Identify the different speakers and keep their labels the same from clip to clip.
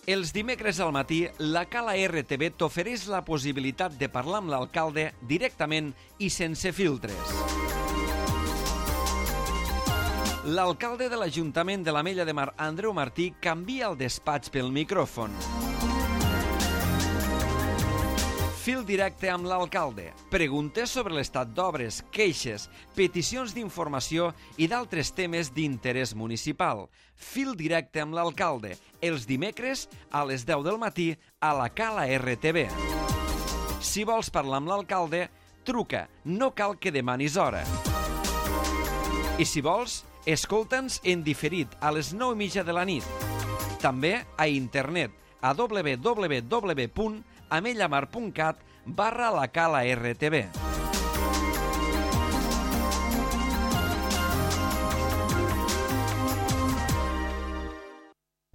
Speaker 1: Els dimecres al matí, la Cala RTV t'ofereix la possibilitat de parlar amb l'alcalde directament i sense filtres. L'alcalde de l'Ajuntament de l'Ametlla de Mar, Andreu Martí, canvia el despatx pel micròfon. Fil directe amb l'alcalde. Preguntes sobre l'estat d'obres, queixes, peticions d'informació i d'altres temes d'interès municipal. Fil directe amb l'alcalde. Els dimecres a les 10 del matí a la Cala RTV. Si vols parlar amb l'alcalde, truca. No cal que demanis hora. I si vols, escolta'ns en diferit a les 9:30 de la nit. També a internet a www.amellamar.cat/la Cala RTV.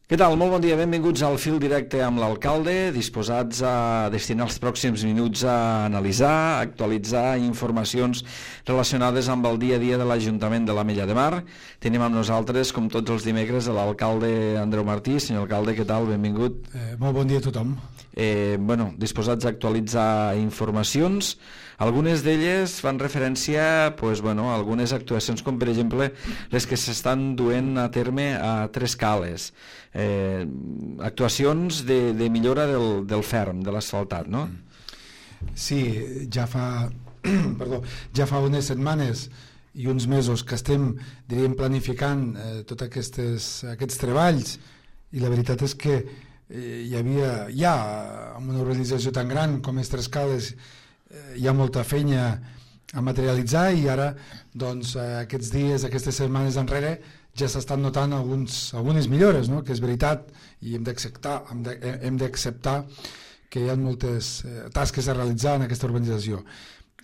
Speaker 2: Què tal? Molt bon dia, benvinguts al Fil Directe amb l'alcalde, disposats a destinar els pròxims minuts a analitzar, actualitzar informacions relacionades amb el dia a dia de l'Ajuntament de l'Ametlla de Mar. Tenim amb nosaltres, com tots els dimecres, l'alcalde Andreu Martí. Senyor alcalde, què tal? Benvingut.
Speaker 3: Molt bon dia a tothom.
Speaker 2: Disposats a actualitzar informacions. Algunes d'elles fan referència a algunes actuacions, com per exemple les que s'estan duent a terme a Tres Cales. Actuacions de millora del ferm, de l'asfaltat, no?
Speaker 3: Sí, ja fa unes setmanes i uns mesos que estem, diríem, planificant tots aquests treballs, i la veritat és que amb una organització tan gran com és Tres Cales hi ha molta feina a materialitzar, i ara doncs aquests dies, aquestes setmanes enrere ja s'estan notant algunes millores, no? Que és veritat, i hem d'acceptar que hi ha moltes tasques a realitzar en aquesta urbanització.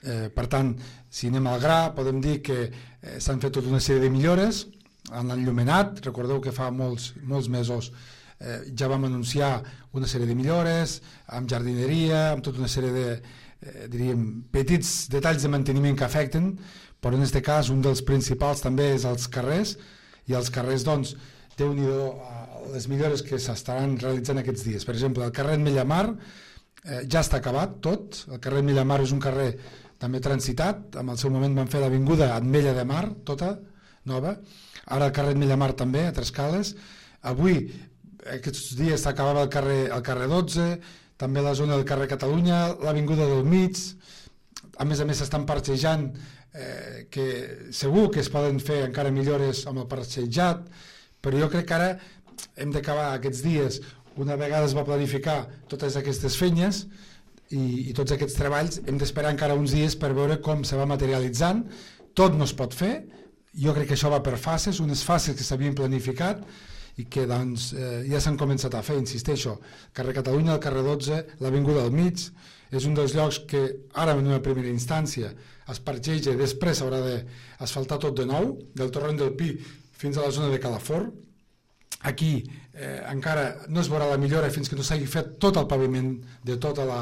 Speaker 3: Per tant, si anem al gra, podem dir que s'han fet tota una sèrie de millores en l'enllumenat. Recordeu que fa molts mesos ja vam anunciar una sèrie de millores amb jardineria, amb tota una sèrie de petits detalls de manteniment que afecten, però en aquest cas un dels principals també és els carrers, i els carrers, doncs, Déu-n'hi-do les millores que s'estaran realitzant aquests dies. Per exemple, el carrer Ametlla Mar ja està acabat tot. El carrer Ametlla Mar és un carrer també transitat. En el seu moment van fer l'avinguda Ametlla de Mar, tota nova. Ara el carrer Ametlla Mar també, a Tres Cales. Avui, aquests dies, s'acabava el carrer 12, també la zona del carrer Catalunya, l'avinguda del Mig. A més, s'estan parxejant, que segur que es poden fer encara millores amb el parxejat, però jo crec que ara hem d'acabar aquests dies, una vegada es va planificar totes aquestes feines i tots aquests treballs, hem d'esperar encara uns dies per veure com se va materialitzant. Tot no es pot fer, jo crec que això va per fases, unes fases que s'havien planificat i que doncs, ja s'han començat a fer, insisteixo. Carrer Catalunya, el carrer 12, l'avinguda del Mig, és un dels llocs que ara en una primera instància es parxeja i després s'haurà d'asfaltar tot de nou, del torrent del Pi fins a la zona de Calafort. Aquí encara no es veurà la millora fins que no s'hagi fet tot el paviment de tot el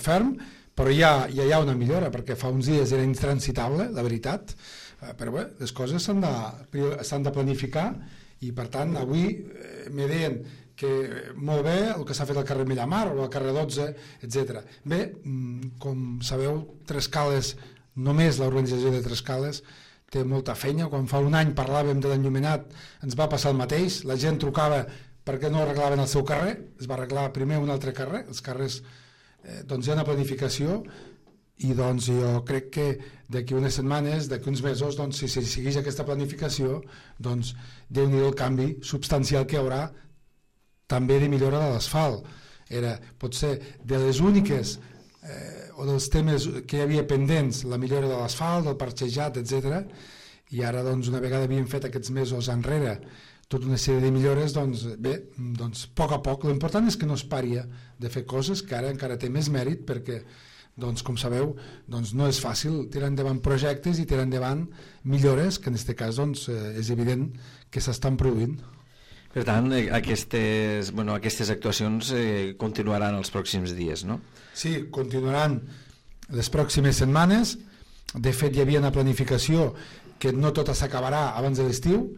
Speaker 3: ferm, però ja hi ha una millora, perquè fa uns dies era intransitable, la veritat, però bé, les coses s'han de planificar, i per tant avui me deien que molt bé el que s'ha fet al carrer Ametlla Mar o al carrer 12, etc. Bé, com sabeu, Tres Cales, només l'organització de Tres Cales té molta feina. Quan fa un any parlàvem de l'enllumenat ens va passar el mateix, la gent trucava perquè no arreglaven el seu carrer, es va arreglar primer un altre carrer, els carrers doncs hi ha una planificació, i doncs jo crec que d'aquí unes setmanes, d'aquí uns mesos, doncs, si segueix aquesta planificació, doncs Déu-n'hi-do el canvi substancial que hi haurà també de millora de l'asfalt. Potser de les úniques o dels temes que hi havia pendents, la millora de l'asfalt, del parxejat, etc. I ara, doncs, una vegada havíem fet aquests mesos enrere tota una sèrie de millores, doncs bé, doncs, a poc, l'important és que no es pari de fer coses, que ara encara té més mèrit, perquè, doncs, com sabeu, doncs, no és fàcil tirar endavant projectes i tirar endavant millores, que en aquest cas doncs, és evident que s'estan produint.
Speaker 2: Per tant, aquestes actuacions continuaran els pròxims dies, no?
Speaker 3: Sí, continuaran les pròximes setmanes. De fet, hi havia una planificació que no tota s'acabarà abans de l'estiu,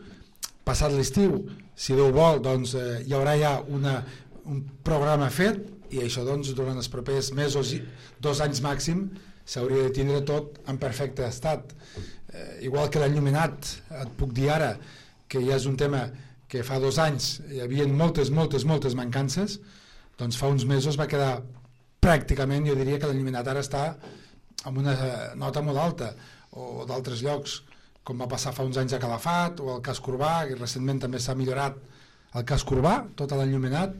Speaker 3: passat l'estiu, si Déu vol, doncs hi haurà ja un programa fet, i això doncs durant els propers mesos, 2 anys màxim, s'hauria de tindre tot en perfecte estat. Igual que l'enllumenat, et puc dir ara que ja és un tema que fa 2 anys hi havia moltes mancances, doncs fa uns mesos va quedar pràcticament, jo diria que l'enllumenat ara està amb una nota molt alta, o d'altres llocs, com va passar fa uns anys a Calafat o al casc urbà, que recentment també s'ha millorat el casc urbà, tot l'enllumenat,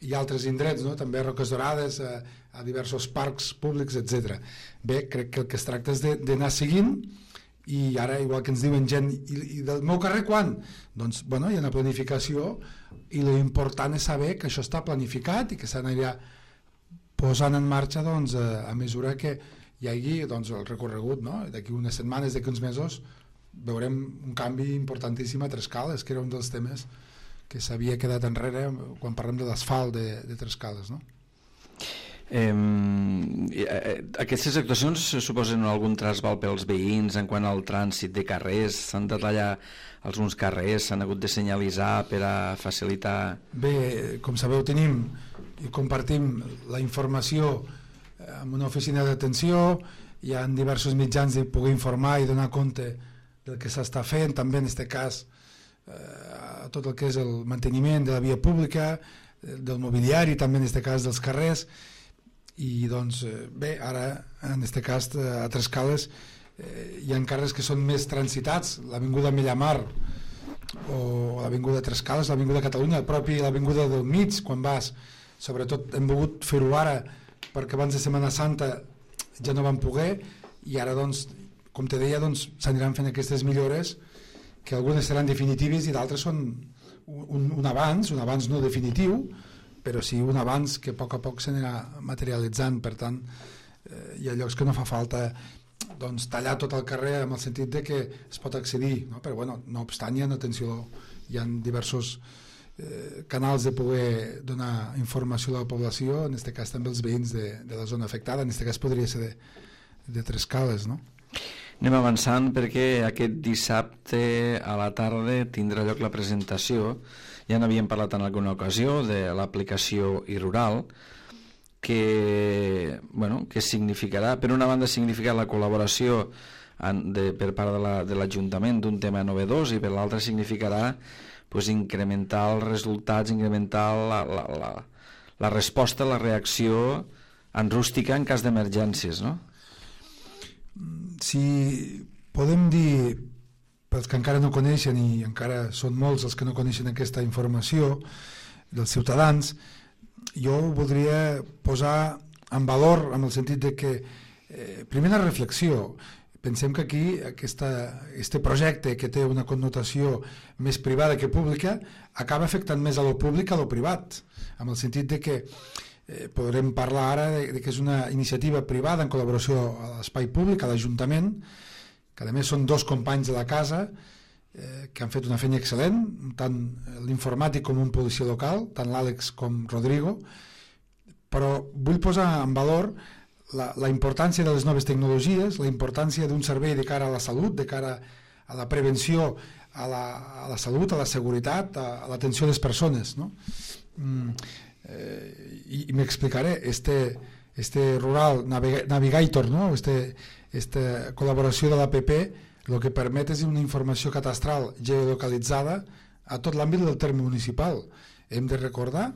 Speaker 3: i altres indrets, no? També a Roques Dorades, a diversos parcs públics, etc. Bé, crec que el que es tracta és d'anar seguint, i ara, igual que ens diuen gent, i del meu carrer quan? Doncs, bueno, hi ha una planificació, i l'important és saber que això està planificat i que s'anirà posant en marxa doncs, a mesura que hi hagi doncs, el recorregut, no? D'aquí unes setmanes, d'aquí uns mesos, veurem un canvi importantíssim a Trescales, que era un dels temes que s'havia quedat enrere quan parlem de l'asfalt de Trescales, no?
Speaker 2: Aquestes actuacions suposen algun trasbal pels veïns en quant al trànsit de carrers? S'han de tallar alguns carrers, s'han hagut de senyalitzar per a facilitar...
Speaker 3: Bé, com sabeu, tenim i compartim la informació amb una oficina d'atenció, hi ha diversos mitjans de poder informar i donar compte del que s'està fent, també en aquest cas tot el que és el manteniment de la via pública, del mobiliari, també en aquest cas dels carrers, i doncs bé, ara en aquest cas a Trescales hi ha carrers que són més transitats, l'avinguda Millamar o l'avinguda Trescales, l'avinguda Catalunya, el propi l'avinguda del mig, quan vas, sobretot hem volgut fer-ho ara perquè abans de Setmana Santa ja no vam poder, i ara doncs, com te deia, doncs, s'aniran fent aquestes millores, que algunes seran definitives i d'altres són un avanç no definitiu, però sí un avanç que a poc s'anirà materialitzant. Per tant, hi ha llocs que no fa falta doncs, tallar tot el carrer en el sentit de que es pot accedir, no? Però bueno, no obstant, hi ha diversos canals de poder donar informació a la població, en aquest cas també els veïns de la zona afectada, en aquest cas podria ser de Trescales, no?
Speaker 2: Anem avançant perquè aquest dissabte a la tarda tindrà lloc la presentació, ja n'havíem parlat en alguna ocasió, de l'aplicació iRural, que significarà, per una banda significarà la col·laboració per part de l'Ajuntament d'un tema novedós, i per l'altra significarà incrementar els resultats, incrementar la resposta, la reacció en rústica en cas d'emergències, no?
Speaker 3: Si podem dir, pels que encara no coneixen, i encara són molts els que no coneixen aquesta informació dels ciutadans, jo voldria posar en valor en el sentit de que primera reflexió, pensem que aquí este projecte, que té una connotació més privada que pública, acaba afectant més a lo públic que a lo privat, en el sentit de que podrem parlar ara de que és una iniciativa privada en col·laboració a l'espai públic, a l'Ajuntament, que a més són 2 companys de la casa que han fet una feina excel·lent, tant l'informàtic com un policia local, tant l'Àlex com Rodrigo, però vull posar en valor la importància de les noves tecnologies, la importància d'un servei de cara a la salut, de cara a la prevenció, a la salut, a la seguretat, a l'atenció a les persones, no? I m'explicaré. Este Rural Navigator, no? Esta col·laboració de l'APP, el que permet és una informació catastral geolocalitzada a tot l'àmbit del terme municipal. Hem de recordar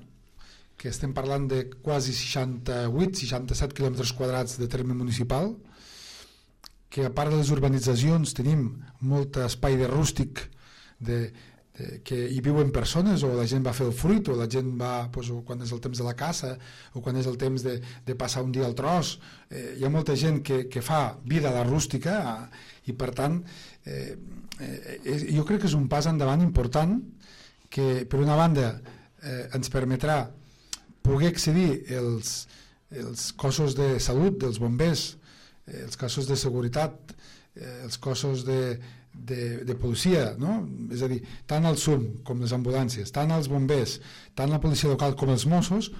Speaker 3: que estem parlant de quasi 68-67 quilòmetres quadrats de terme municipal, que a part de les urbanitzacions tenim molt espai de rústic que hi viuen persones, o la gent va fer el fruit, o la gent va, o quan és el temps de la caça, o quan és el temps de passar un dia al tros. Hi ha molta gent que fa vida a la rústica, i per tant jo crec que és un pas endavant important, que per una banda ens permetrà poder accedir els cossos de salut dels bombers, els cossos de seguretat, els cossos de policia, no? És a dir, tant el SUM com les ambulàncies, tant els bombers, tant la policia local com els Mossos,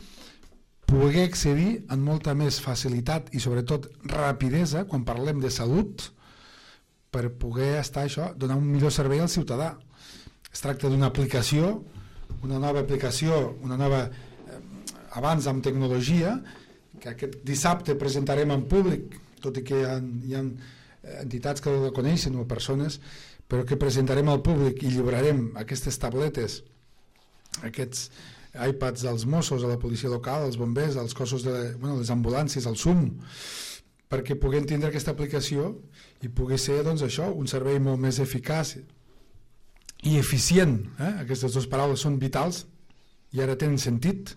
Speaker 3: poder accedir amb molta més facilitat i sobretot rapidesa quan parlem de salut, per poder donar un millor servei al ciutadà. Es tracta d'una aplicació, una nova aplicació, una nova abans amb tecnologia, que aquest dissabte presentarem en públic, tot i que hi ha entitats que la coneixen o persones, però que presentarem al públic i lliurarem aquestes tabletes, aquests iPads als Mossos, a la policia local, als bombers, als cossos les ambulàncies, al SUM, perquè puguem tindre aquesta aplicació i pugui ser, doncs, això, un servei molt més eficaç i eficient. Aquestes dues paraules són vitals i ara tenen sentit.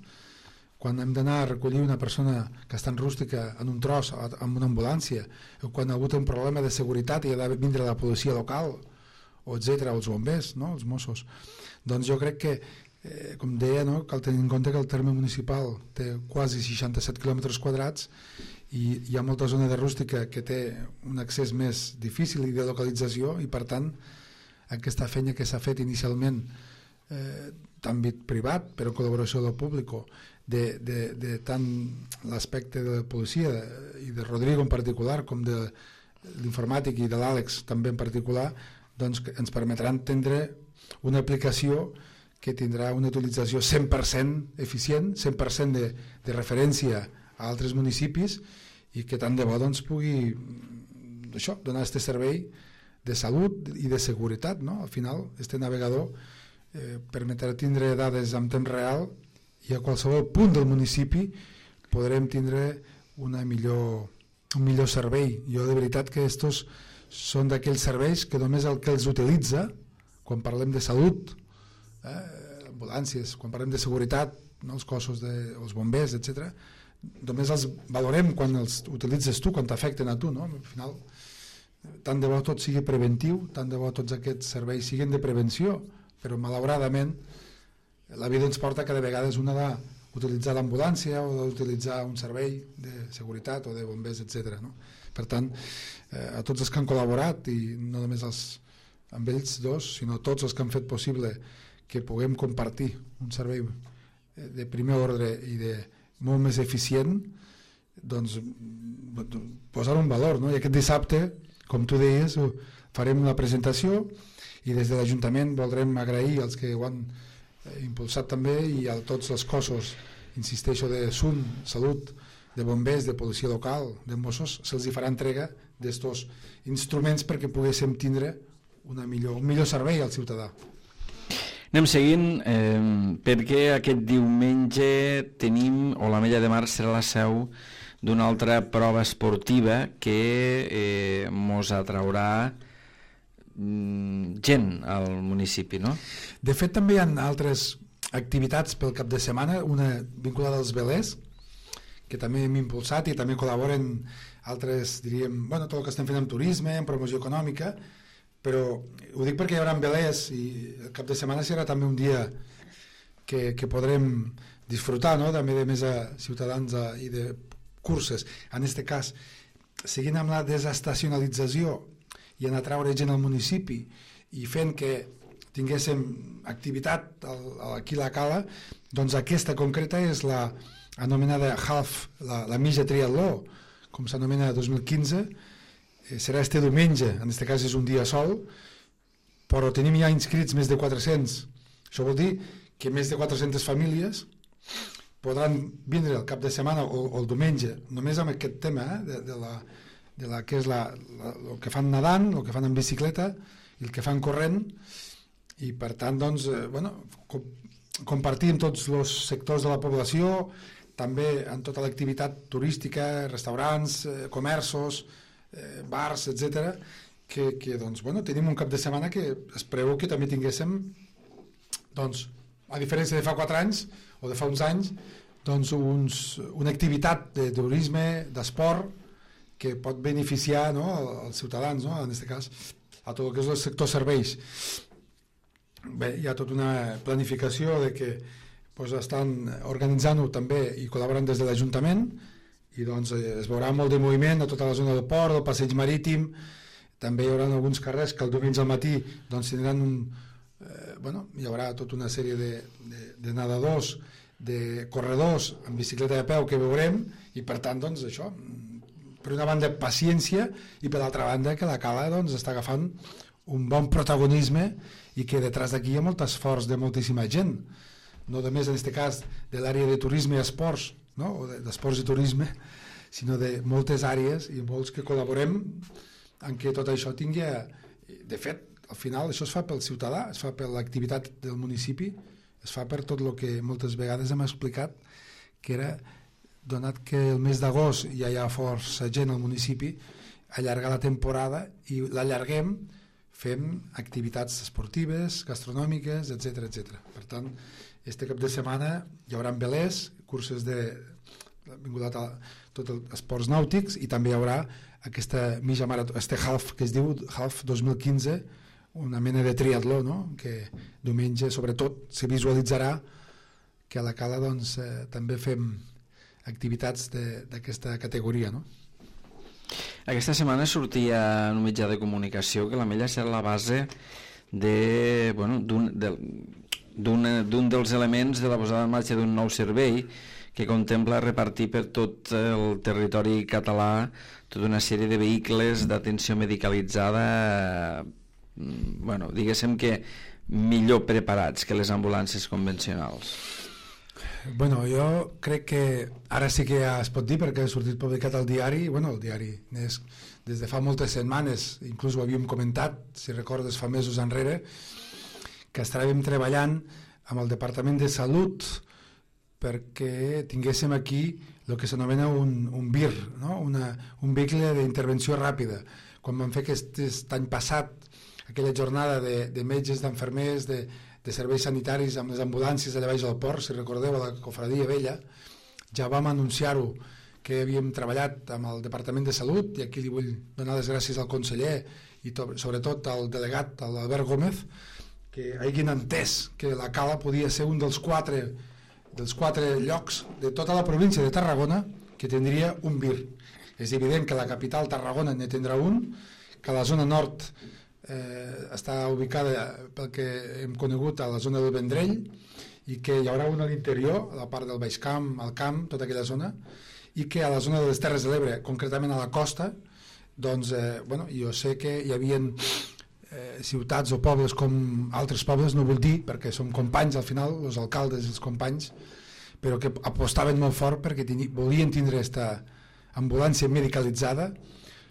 Speaker 3: Quan hem d'anar a recollir una persona que està en rústica en un tros amb una ambulància, o quan ha hagut un problema de seguretat i ha de vindre la policia local, o etcètera, els bombers, no? Els Mossos. Doncs jo crec que, com deia, no? Cal tenir en compte que el terme municipal té quasi 67 quilòmetres quadrats i hi ha molta zona de rústica que té un accés més difícil i de localització, i per tant aquesta feina que s'ha fet inicialment d'àmbit privat, però en col·laboració del públic, de tant l'aspecte de la policia i de Rodrigo en particular com de l'informàtic i de l'Àlex també en particular, doncs ens permetran tindre una aplicació que tindrà una utilització 100% eficient, 100% de referència a altres municipis, i que tant de bo doncs, pugui donar aquest servei de salut i de seguretat, no? Al final, este navegador permetrà tindre dades en temps real i a qualsevol punt del municipi podrem tindre un millor servei. Jo de veritat que estos són d'aquells serveis que només el que els utilitza, quan parlem de salut, ambulàncies, quan parlem de seguretat, no? Els cossos, els bombers, etc., només els valorem quan els utilitzes tu, quan t'afecten a tu, no? Al final, tant de bo tot sigui preventiu, tant de bo tots aquests serveis siguin de prevenció, però malauradament la vida ens porta cada vegada una d'utilitzar l'ambulància o d'utilitzar un servei de seguretat o de bombers, etc. No? Per tant, a tots els que han col·laborat, i no només amb ells dos, sinó tots els que han fet possible que puguem compartir un servei de primer ordre i de molt més eficient, doncs posar un valor, no? I aquest dissabte, com tu deies, farem una presentació i des de l'Ajuntament voldrem agrair als que ho han impulsat també i a tots els cossos, insisteixo, de SUM, Salut, de bombers, de policia local, de Mossos, se'ls hi farà entrega d'estos instruments perquè poguéssim tindre un millor servei al ciutadà.
Speaker 2: Anem seguint, perquè aquest diumenge tenim, o l'Ametlla de Mar serà la seu d'una altra prova esportiva que mos atraurà gent al municipi, no?
Speaker 3: De fet, també hi ha altres activitats pel cap de setmana, una vinculada als velers, que també hem impulsat i també col·laboren altres, diríem, tot el que estem fent amb turisme, en promoció econòmica, però ho dic perquè hi haurà velers i el cap de setmana serà també un dia que podrem disfrutar, no? També de més a ciutadans i de curses. En aquest cas, seguint amb la desestacionalització i en atraure gent al municipi i fent que tinguéssim activitat aquí a la Cala, doncs aquesta concreta és la anomenada Half, la mitja triatló, com s'anomena 2015, serà este diumenge, en aquest cas és un dia sol, però tenim ja inscrits més de 400. Això vol dir que més de 400 famílies podran vindre el cap de setmana o el diumenge, només amb aquest tema de la que és el que fan nedant, el que fan en bicicleta i el que fan corrent, i per tant doncs, compartir amb tots els sectors de la població, també en tota l'activitat turística, restaurants, comerços, bars, etc. que doncs, tenim un cap de setmana que es preveu que també tinguéssim, doncs, a diferència de fa 4 anys o de fa uns anys, doncs una activitat de turisme, d'esport, que pot beneficiar, no, als ciutadans, no, en aquest cas, a tot el que és el sector serveis. Bé, hi ha tota una planificació de que estan organitzant-ho també i col·laboren des de l'Ajuntament, i doncs es veurà molt de moviment a tota la zona del port, del passeig marítim. També hi haurà alguns carrers que el diumenge al matí doncs tindran hi haurà tota una sèrie de nedadors, de corredors amb bicicleta de peu que veurem, i per tant doncs això, per una banda paciència, i per l'altra banda que la Cala doncs està agafant un bon protagonisme i que detrás d'aquí hi ha molt esforç de moltíssima gent, no només en aquest cas de l'àrea de turisme i esports, no? O d'esports i turisme, sinó de moltes àrees i molts que col·laborem en què tot això tingui... De fet, al final això es fa pel ciutadà, es fa per l'activitat del municipi, es fa per tot el que moltes vegades hem explicat, que era, donat que el mes d'agost ja hi ha força gent al municipi, allargar la temporada i l'allarguem, fem activitats esportives, gastronòmiques, etc etc. Per tant, este cap de setmana hi haurà velers, curses de vinculat a tot els esports nàutics i també hi haurà aquesta mitja marató, este half que es diu Half 2015, una mena de triatló, no? Que diumenge sobretot se visualitzarà que a la Cala doncs, també fem activitats d'aquesta categoria, no?
Speaker 2: Aquesta setmana sortia en un mitjà de comunicació que l'Ametlla serà la base d'un dels elements de la posada en marxa d'un nou servei que contempla repartir per tot el territori català tota una sèrie de vehicles d'atenció medicalitzada, diguéssim que millor preparats que les ambulàncies convencionals.
Speaker 3: Bueno, jo crec que ara sí que ja es pot dir perquè ha sortit publicat al diari, el diari des de fa moltes setmanes, inclús ho havíem comentat, si recordes fa mesos enrere, que estàvem treballant amb el Departament de Salut perquè tinguéssim aquí el que s'anomena un VIR, no? Un vehicle d'intervenció ràpida. Quan vam fer aquest any passat aquella jornada de metges, d'enfermers, de serveis sanitaris amb les ambulàncies allà baix al port, si recordeu, a la Cofradia Vella, ja vam anunciar-ho que havíem treballat amb el Departament de Salut, i aquí li vull donar les gràcies al conseller i sobretot al delegat, l'Albert Gómez, que hagin entès que la Cala podia ser un dels quatre llocs de tota la província de Tarragona que tindria un VIR. És evident que la capital Tarragona ne tindrà un, que la zona nord està ubicada pel que hem conegut a la zona del Vendrell i que hi haurà un a l'interior, a la part del Baix Camp, al Camp, tota aquella zona, i que a la zona de les Terres de l'Ebre, concretament a la costa, doncs, jo sé que hi havia ciutats o pobles com altres pobles, no vull dir, perquè som companys al final, els alcaldes i els companys, però que apostaven molt fort perquè volien tindre aquesta ambulància medicalitzada.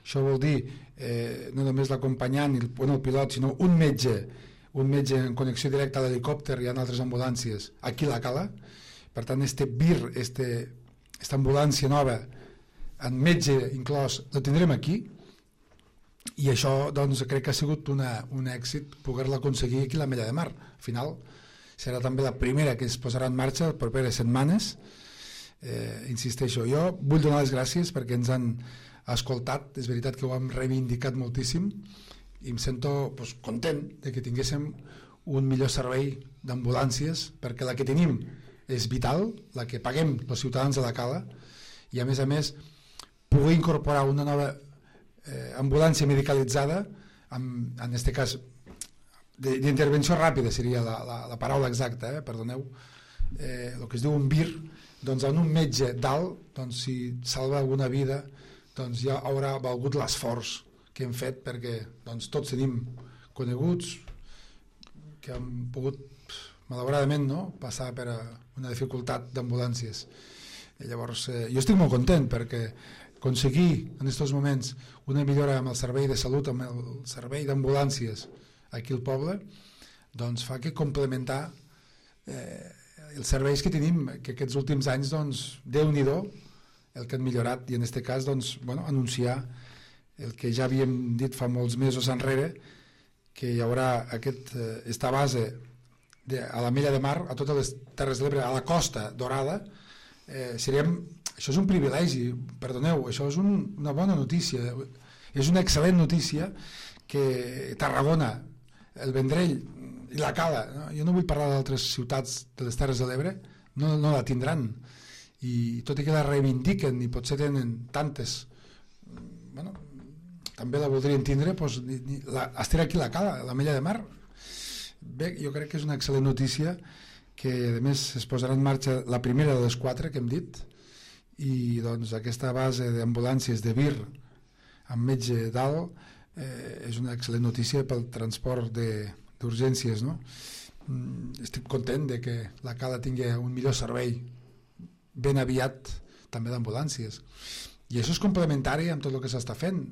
Speaker 3: Això vol dir no només l'acompanyant el pilot, sinó un metge en connexió directa a l'helicòpter i en altres ambulàncies aquí a la Cala. Per tant, este VIR, esta ambulància nova amb metge inclòs, la tindrem aquí, i això doncs, crec que ha sigut un èxit poder-la aconseguir aquí a l'Ametlla de Mar. Al final serà també la primera que es posarà en marxa les properes setmanes. Insisteixo, jo vull donar les gràcies perquè ens han escoltat, és veritat que ho hem reivindicat moltíssim i em sento content de que tinguéssim un millor servei d'ambulàncies, perquè la que tenim és vital, la que paguem els ciutadans de la Cala, i a més poder incorporar una nova ambulància medicalitzada, en aquest cas d'intervenció ràpida seria la paraula exacta, perdoneu, el que es diu un VIR, doncs en un metge dalt, doncs, si salva alguna vida, doncs ja haurà valgut l'esforç que hem fet, perquè doncs, tots tenim coneguts que han pogut malauradament passar per una dificultat d'ambulàncies. Llavors jo estic molt content perquè aconseguir en aquests moments una millora amb el servei de salut, amb el servei d'ambulàncies aquí al poble, doncs fa que complementar els serveis que tenim, que aquests últims anys, doncs, Déu-n'hi-do el que han millorat, i en aquest cas doncs, anunciar el que ja havíem dit fa molts mesos enrere, que hi haurà aquesta base a l'Ametlla de Mar, a totes les Terres de l'Ebre, a la Costa Dorada. Això és un privilegi, perdoneu, això és una bona notícia, és una excel·lent notícia que Tarragona, el Vendrell i la Cala, jo no vull parlar d'altres ciutats de les Terres de l'Ebre, no la tindran, i tot i que la reivindiquen i potser tenen tantes, també la voldrien tindre, estarà aquí a la Cala, a l'Ametlla de Mar. Bé, jo crec que és una excel·lent notícia que a més es posarà en marxa la primera de les 4 que hem dit, i doncs aquesta base d'ambulàncies de VIR amb metge dalt és una excel·lent notícia pel transport d'urgències, no? Estic content de que la Cala tingui un millor servei ben aviat també d'ambulàncies, i això és complementari amb tot el que s'està fent,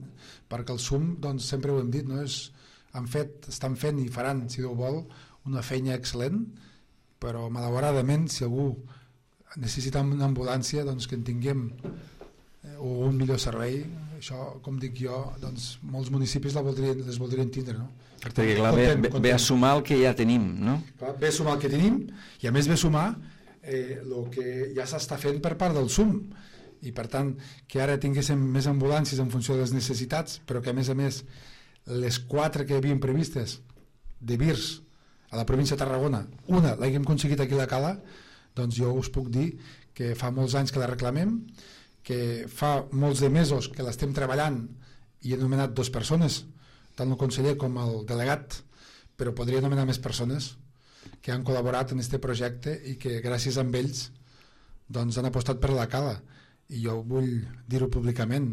Speaker 3: perquè el SUM, doncs, sempre ho hem dit, no? Estan fent i faran, si Déu vol, una feina excel·lent, però malauradament si algú necessita una ambulància, doncs que en tinguem o un millor servei, això, com dic jo, doncs molts municipis les voldrien tindre, no?
Speaker 2: Perquè clar, ve a sumar el que ja tenim, no?
Speaker 3: Clar, ve a sumar el que tenim, i a més ve a sumar el que ja s'està fent per part del SUM, i per tant que ara tinguéssim més ambulàncies en funció de les necessitats, però que a més les 4 que havien previstes de VIRS a la província de Tarragona, una l'haguem aconseguit aquí a la Cala, doncs jo us puc dir que fa molts anys que la reclamem, que fa molts de mesos que l'estem treballant i he nomenat 2 persones, tant el conseller com el delegat, però podria nomenar més persones que han col·laborat en aquest projecte i que gràcies a ells doncs, han apostat per la Cala, i jo vull dir-ho públicament.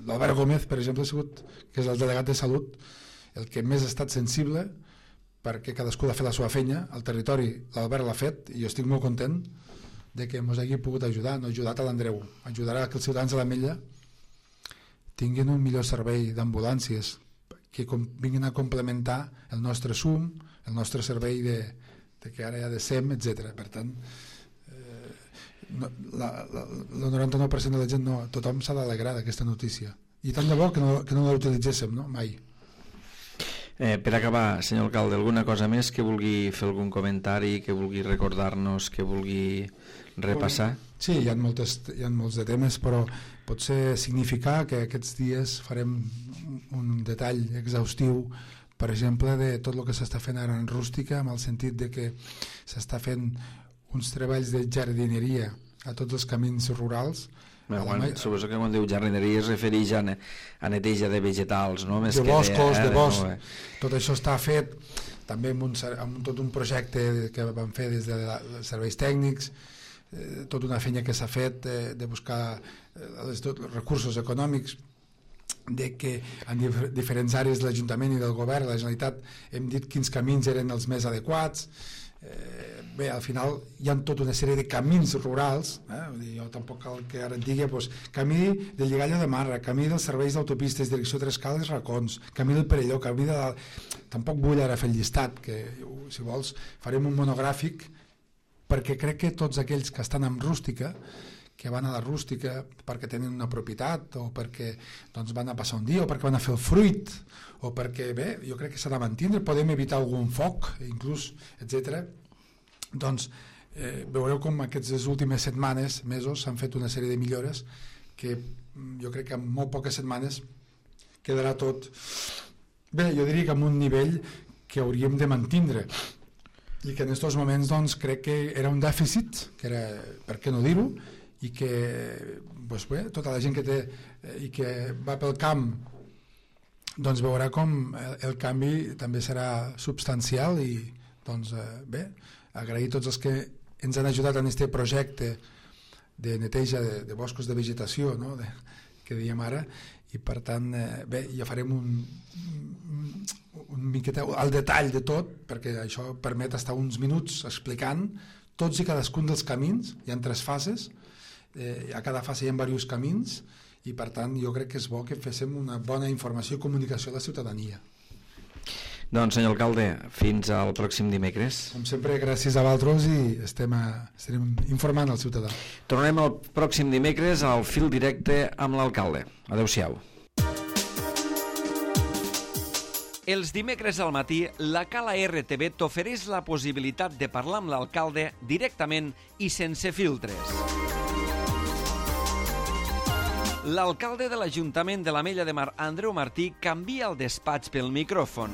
Speaker 3: L'Albert Gómez, per exemple, ha sigut, que és el delegat de Salut, el que més ha estat sensible, perquè cadascú ha fet la seva feina al territori. L'Albert l'ha fet i jo estic molt content de que ens hagi pogut ajudar. No ha ajudat a l'Andreu, ajudarà que els ciutadans de l'Ametlla tinguin un millor servei d'ambulàncies que vinguin a complementar el nostre SUM, el nostre servei que ara hi ha de SEM, etc. Per tant, el 99% de la gent, tothom s'ha d'alegrar d'aquesta notícia. I tant de bo que no la utilitzéssim, no? Mai.
Speaker 2: Per acabar, senyor alcalde, alguna cosa més que vulgui fer algun comentari, que vulgui recordar-nos, que vulgui repassar?
Speaker 3: Sí, hi ha molts de temes, però potser significar que aquests dies farem un detall exhaustiu, per exemple, de tot el que s'està fent ara en Rústica, amb el sentit de que s'està fent uns treballs de jardineria a tots els camins rurals.
Speaker 2: Suposo que quan diu jardineria es refereix a neteja de vegetals, no?
Speaker 3: De boscos, de bosc. Tot això està fet també amb tot un projecte que vam fer des de serveis tècnics, tota una feina que s'ha fet de buscar els recursos econòmics, de que en diferents àrees de l'Ajuntament i del Govern, la Generalitat, hem dit quins camins eren els més adequats. Bé, al final hi ha tota una sèrie de camins rurals, jo tampoc cal que ara et digui, camí del Lligalla de Marra, camí dels serveis d'autopistes, direcció Trescales, Racons, camí del Perelló, camí de... Tampoc vull ara fer el llistat, que si vols farem un monogràfic, perquè crec que tots aquells que estan en Rústica, que van a la Rústica perquè tenen una propietat, o perquè doncs, van a passar un dia, o perquè van a fer el fruit, o perquè, bé, jo crec que s'ha de mantindre, podem evitar algun foc, inclús, etc. Doncs veureu com aquestes últimes setmanes, mesos, s'han fet una sèrie de millores que jo crec que en molt poques setmanes quedarà tot, bé, jo diria que en un nivell que hauríem de mantindre, i que en aquests moments doncs, crec que era un dèficit, que era, per què no dir-ho, i que doncs bé, tota la gent que té i que va pel camp doncs veurà com el canvi també serà substancial, i doncs bé, agrair tots els que ens han ajudat en aquest projecte de neteja de boscos de vegetació, no? Que dèiem ara, i per tant bé, ja farem un miqueta al detall de tot, perquè això permet estar uns minuts explicant tots i cadascun dels camins. Hi ha 3 fases, a cada fase hi ha diversos camins, i per tant jo crec que és bo que féssim una bona informació i comunicació a la ciutadania.
Speaker 2: Doncs senyor alcalde, fins al pròxim dimecres.
Speaker 3: Com sempre, gràcies a vosaltres, i estarem informant al ciutadà.
Speaker 2: Tornem el pròxim dimecres al Fil Directe amb l'alcalde. Adéu-siau.
Speaker 1: Els dimecres al matí, la Cala RTV t'ofereix la possibilitat de parlar amb l'alcalde directament i sense filtres. L'alcalde de l'Ajuntament de l'Ametlla de Mar, Andreu Martí, canvia el despatx pel micròfon.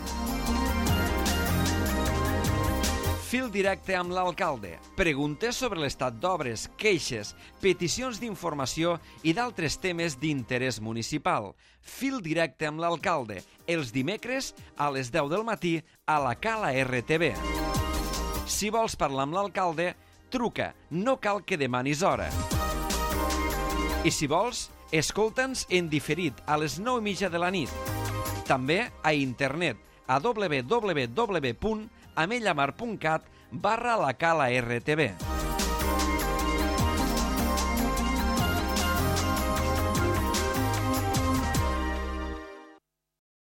Speaker 1: Fil directe amb l'alcalde. Preguntes sobre l'estat d'obres, queixes, peticions d'informació i d'altres temes d'interès municipal. Fil directe amb l'alcalde. Els dimecres a les 10 del matí a la Cala RTV. Si vols parlar amb l'alcalde, truca. No cal que demanis hora. I si vols, escolta'ns en diferit a les 9:30 de la nit. també a internet a www.amellamar.cat/la Cala RTV.